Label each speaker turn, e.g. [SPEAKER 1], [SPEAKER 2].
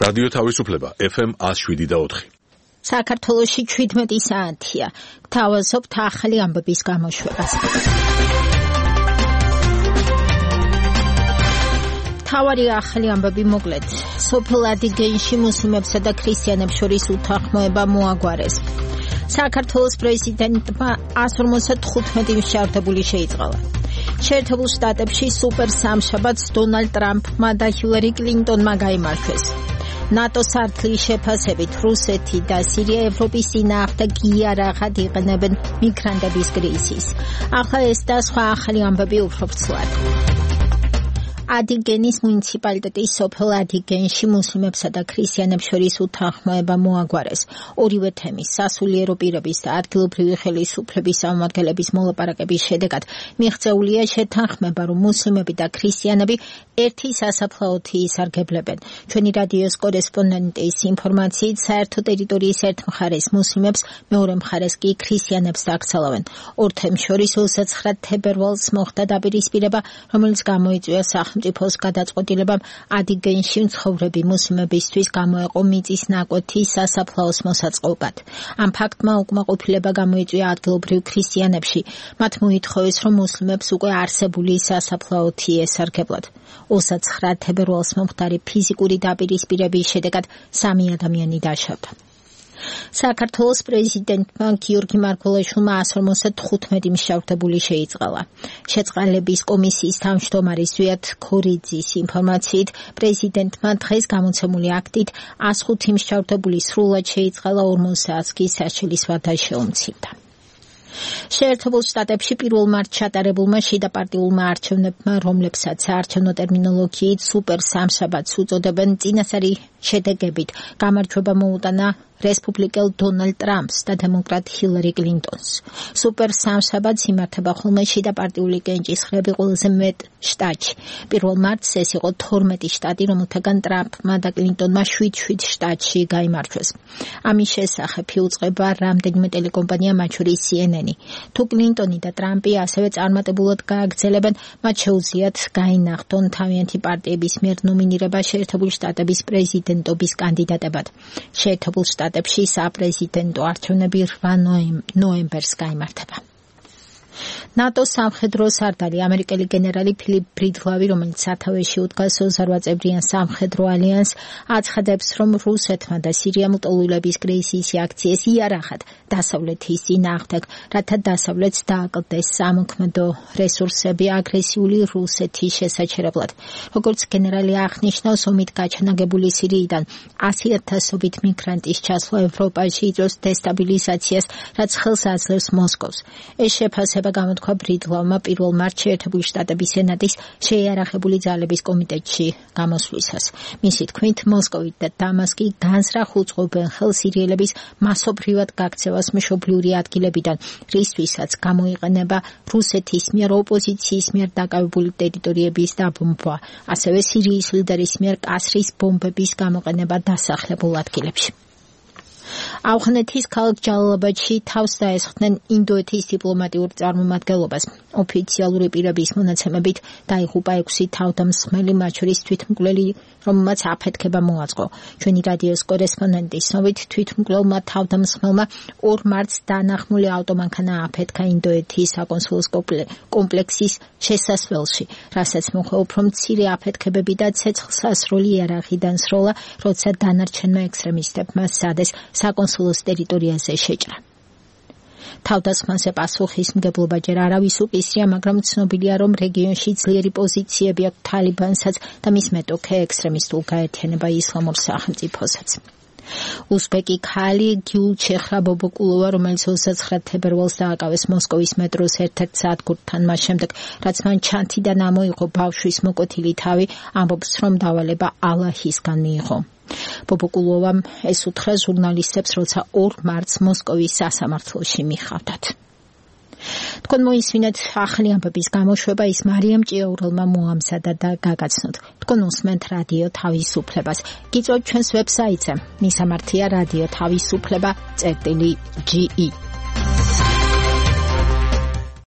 [SPEAKER 1] რადიო თავისუფლება FM 107.4.
[SPEAKER 2] საქართველოში 17 საათია. გთავაზობთ ახალი ამბების გამოშვებას. თავარი ახალი ამბები მოკლედ. სოფელ ადიგენში მუსლიმებსა და ქრისტიანებს შორის უთანხმოება მოაგვარეს. საქართველოს პრეზიდენტმა 155 მსჯავრდებული შეიწყალა. შეერთებულ შტატებში სუპერ სამშაბათს დონალდ ტრამპმა და ჰილარი კლინტონმა გაიმარჯვეს. ნატოს სართლის შეფასებით რუსეთი და სირია ევროპის წინააღმდეგ იარაღად იყენებენ მიგრანტების კრიზისს. ახლა ეს და სხვა ახალი ამბები უფრო ვრცლად. ადიგენის მუნიციპალიტეტის სოფელ ადიგენში მუსლიმებსა და ქრისტიანებს შორის უთანხმოება მოაგვარეს. ორივე თემის სასულიერო პირების და ადგილობრივი ხელისუფლების წარმომადგენლების მოლაპარაკების შედეგად მიღწეულია შეთანხმება, რომ მუსლიმები და ქრისტიანები ერთი სასაფლაოთი ისარგებლებენ. ჩვენი რადიოს კორესპონდენტის ინფორმაციით, საერთო ტერიტორიის ერთ მხარეს მუსლიმებს, მეორე მხარეს კი ქრისტიანებს დაკრძალავენ. ორ თემს შორის 29 თებერვალს მოხდა დაპირისპირება, რომელიც გამოიწვია სახელმწიფოს გადაწყვეტილებამ ადიგენში მცხოვრები მუსლიმებისთვის გამოეყო მიწის ნაკვეთი სასაფლაოს მოსაწყობად. ამ ფაქტმა უკმაყოფილება გამოიწვია ადგილობრივ ქრისტიანებში. მათ მოითხოვეს, რომ მუსლიმებს უკვე არსებული სასაფლაოთი ესარგებლად. 29 თებერვალს მომხდარი ფიზიკური დაპირისპირების შედეგად 3 ადამიანი დაშავდა. საქართველოს პრეზიდენტმა გიორგი მარგველაშვილმა 155 მსჯავრდებული შეიწყალა. შეწყალების კომისიის თავმჯდომარის ზვიად ქორიძის ინფორმაციით, პრეზიდენტმა დღეს გამოცემული აქტით 105 მსჯავრდებული სრულად შეიწყალა 40 საათს კი სასჯელის ვადა შეუმცირდა. შეერთებულ შტატებში 1 მარტს ჩატარებულმა შიდაპარტიულმა არჩევნებმა, რომლებსაც საარჩევნო ტერმინოლოგიით სუპერ სამშაბათს უწოდებენ, წინასწარი შედეგებით გამარჯვება მოუტანა რესპუბლიკელ დონალდ ტრამპს და დემოკრატ ჰილარი კლინტონს. სუპერ სამშაბათს იმართება ხოლმე შიდაპარტიული კენჭისყრები ყველაზე მეტ შტატში. 1 მარტს ეს იყო 12 შტატი, რომელთაგან ტრამპმა და კლინტონმა 7 შტატში გაიმარჯვეს. ამის შესახებ იუწყება რამდენიმე ტელეკომპანია, მათ შორის CNN. თუ კლინტონი და ტრამპი ასევე წარმატებულად გააგრძელებენ, მათ შეუძლიათ გაინახდონ თავიანთი პარტიების მიერ ნომინირება შეერთებულ შტატების პრეზიდენტობის კანდიდატებად. შეერთებულ შტატებში საპრეზიდენტო არჩევნები 8 ნოემბერს გაიმართება. ნატოს სამხედრო სარდალი ამერიკელი გენერალი ფილიპ ბრიდლავი, რომელიც სათავეში უდგას 28 წევრიან სამხედრო ალიანსს, აცხადებს, რომ რუსეთმა და სირიამ ლტოლვილების კრიზისი აქციეს იარაღად დასავლეთის წინააღმდეგ, რათა დასავლეთს დააკლდეს სამოქმედო რესურსები აგრესიული რუსეთის შესაჩერებლად. როგორც გენერალი აღნიშნავს, ომით გაჩანაგებული სირიიდან 100,000-ობით მიგრანტის ჩასვლა ევროპაში იწვევს დესტაბილიზაციას, რაც ხელს აძლევს მოსკოვს. ეს შეფასება გამოთქვა ბრიდლავმა 1 მარტს შეერთებული შტატების სენატის შეიარაღებული ძალების კომიტეტში გამოსვლისას. მისი თქმით, მოსკოვი და დამასკი განზრახ უწყობენ ხელს სირიელების მასობრივად გაქცევას მშობლიური ადგილებიდან, რისთვისაც გამოიყენება რუსეთის მიერ ოპოზიციის მიერ დაკავებული ტერიტორიების დაბომბვა, ასევე სირიის ლიდერის მიერ კასრის ბომბების გამოყენება დასახლებულ ადგილებში. ავღანეთის ქალაქ ჯალალაბადში თავს დაესხდნენ ინდოეთის დიპლომატიურ წარმომადგენლობას. ოფიციალური პირების მონაცემებით დაიღუპა 6 თავდამსხმელი, მათ შორის თვითმკვლელი, რომელმაც აფეთქება მოაწყო. ჩვენი რადიოს კორესპონდენტის ცნობით, თვითმკვლელმა თავდამსხმელმა 2 მარტს დანახმული ავტომანქანა აფეთქა ინდოეთის საკონსულოს კომპლექსის შესასვლელში, რასაც მოხდა უფრო მცირე აფეთქებები და ცეცხლსასროლი იარაღიდან სროლა, როცა დანარჩენმა ექსტრემისტებმა სადეს საკონსულოს ტერიტორიაზე შეჭრა. თავდასხმაზე პასუხისმგებლობა ჯერ არავის უკისრია, მაგრამ ცნობილია, რომ რეგიონში ძლიერი პოზიციები აქვს თალიბანსაც და მის მეტოქე ექსტრემისტულ გაერთიანება ისლამურ სახელმწიფოსაც. უზბეკი ქალი გიულჩეხრა ბობოკულოვა, რომელიც 29 თებერვალს დააკავეს მოსკოვის მეტროს ერთ-ერთ სადგურთან, მას შემდეგ, რაც მან ჩანთიდან ამოიღო ბავშვის მოკვეთილი თავი, ამბობს, რომ დავალება ალაჰისგან მიიღო. ბობოკულოვამ ეს უთხრა ჟურნალისტებს, როცა 2 მარტს მოსკოვის სასამართლოში მიხავდათ. თქვენ მოისმინეთ ახალი ამბების გამოშვება, ის მარიამ ჭიაურელმა მოამზადა და გაგაცნოთ. თქვენ უსმენთ რადიო თავისუფლებას. გიწევთ ჩვენს ვებსაიტზე, მისამართია რადიო თავისუფლება.ge